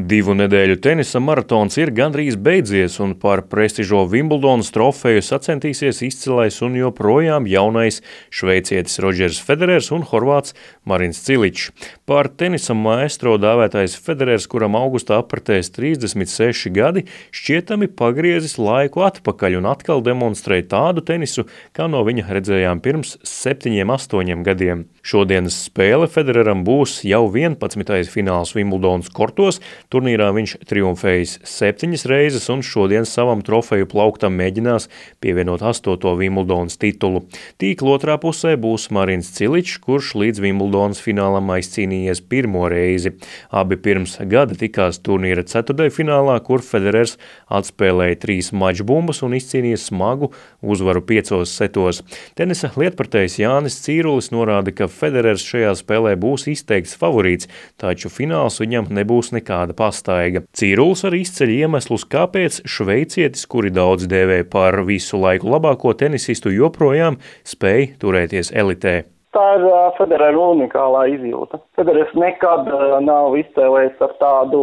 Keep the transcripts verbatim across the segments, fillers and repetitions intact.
Divu nedēļu tenisa maratons ir gandrīz beidzies, un par prestižo Vimbuldonas trofeju sacentīsies izcilais un joprojām jaunais šveicietis Rodžers Federers un horvāts Marins Ciličs. Par tenisa maestro dāvētais Federers, kuram augustā apritēs trīsdesmit seši gadi, šķietami pagriezis laiku atpakaļ un atkal demonstrē tādu tenisu, kā no viņa redzējām pirms septiņiem, astoņiem gadiem. Šodienas spēle Federeram būs jau vienpadsmitais fināls Vimbuldonas kortos. Turnīrā viņš triumfējis septiņas reizes un šodien savam trofeju plauktam mēģinās pievienot astoto Vimbuldonas titulu. Tīkla otrā pusē būs Marins Ciličs, kurš līdz Vimbuldonas finālam aizcīnījies pirmo reizi. Abi pirms gada tikās turnīra ceturtdaļfinālā, kur Federers atspēlēja trīs mačbumbas un izcīnīja smagu uzvaru piecos setos. Tenisa lietpratējs Jānis Cīrulis norāda, ka Federers šajā spēlē būs izteikts favorīts, taču fināls viņam nebūs nekāda pastaiga. Cīrulis arī izceļ iemeslus, kāpēc šveicietis, kuri daudz dēvē par visu laiku labāko tenisistu, joprojām spēj turēties elitē. Tā ir uh, Federera unikālā izjūta. Federers nekad uh, nav izcēlējis ar tādu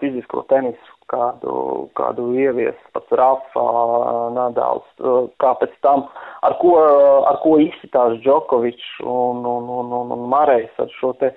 fizisko tenisu, kādu, kādu ievies pats Rafa, Nadals, uh, kā pēc tam, ar ko, uh, ar ko izsitās Džokovičs un, un, un, un, un Marejs ar šo te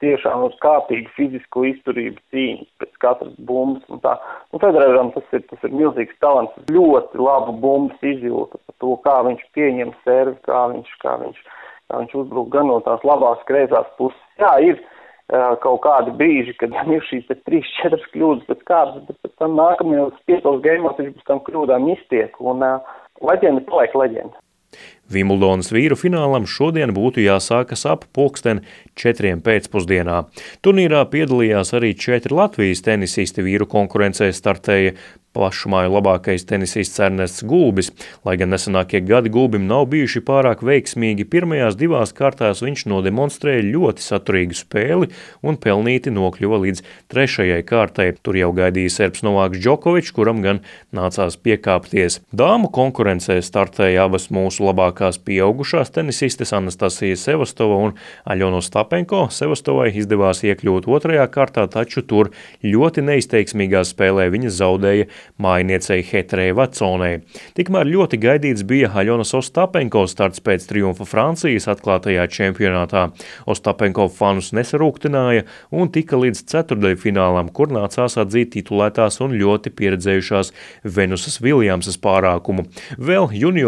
tiešām uz kāpīgu fizisko izturību cīņas pēc katras bumbas. Un tā. Un Federeram tas ir, tas ir milzīgs talants, ļoti labu bumbas izjūta par to, kā viņš pieņem servi, kā viņš, kā viņš, kā viņš uzbruk gan no tās labās kreisās puses. Jā, ir uh, kaut kādi brīži, kad ir šīs trīs, četras kļūdas pēc kārtas, bet pēc tam nākamajos piecos gaimos viņš pēc tam kļūdām iztiek. Un uh, leģenda paliek leģenda. Vimbuldonas vīru finālam šodien būtu jāsākas ap pulksten četriem pēcpusdienā. Turnīrā piedalījās arī četri Latvijas tenisisti. Vīru konkurencē startēja plašumāju labākais tenisists Ernests Gulbis. Lai gan nesenākie gadi Gulbim nav bijuši pārāk veiksmīgi, pirmajās divās kārtās viņš nodemonstrēja ļoti saturīgu spēli un pelnīti nokļuva līdz trešajai kārtai. Tur jau gaidīja serbs Novāks Džokovičs, kuram gan nācās piekāpties. Dāmu konkurencē startēja abas mūsu labākās pieaugušās tenisistes Anastasija Sevastova un Aļona Ostapenko. Sevastovai izdevās iekļūt otrajā kārtā, taču tur ļoti neizteiksmīgā spēlē viņa zaudēja mājniecei Heterei Vatsonei. Tikmēr ļoti gaidīts bija Aļonas Ostapenko starts pēc triumfa Francijas atklātajā čempionātā. Ostapenko fanus nesarūktināja un tika līdz ceturtdaļfinālam, kur nācās atzīt titulētās un ļoti pieredzējušās Venusas Viljamsas pārākumu. Vēl junior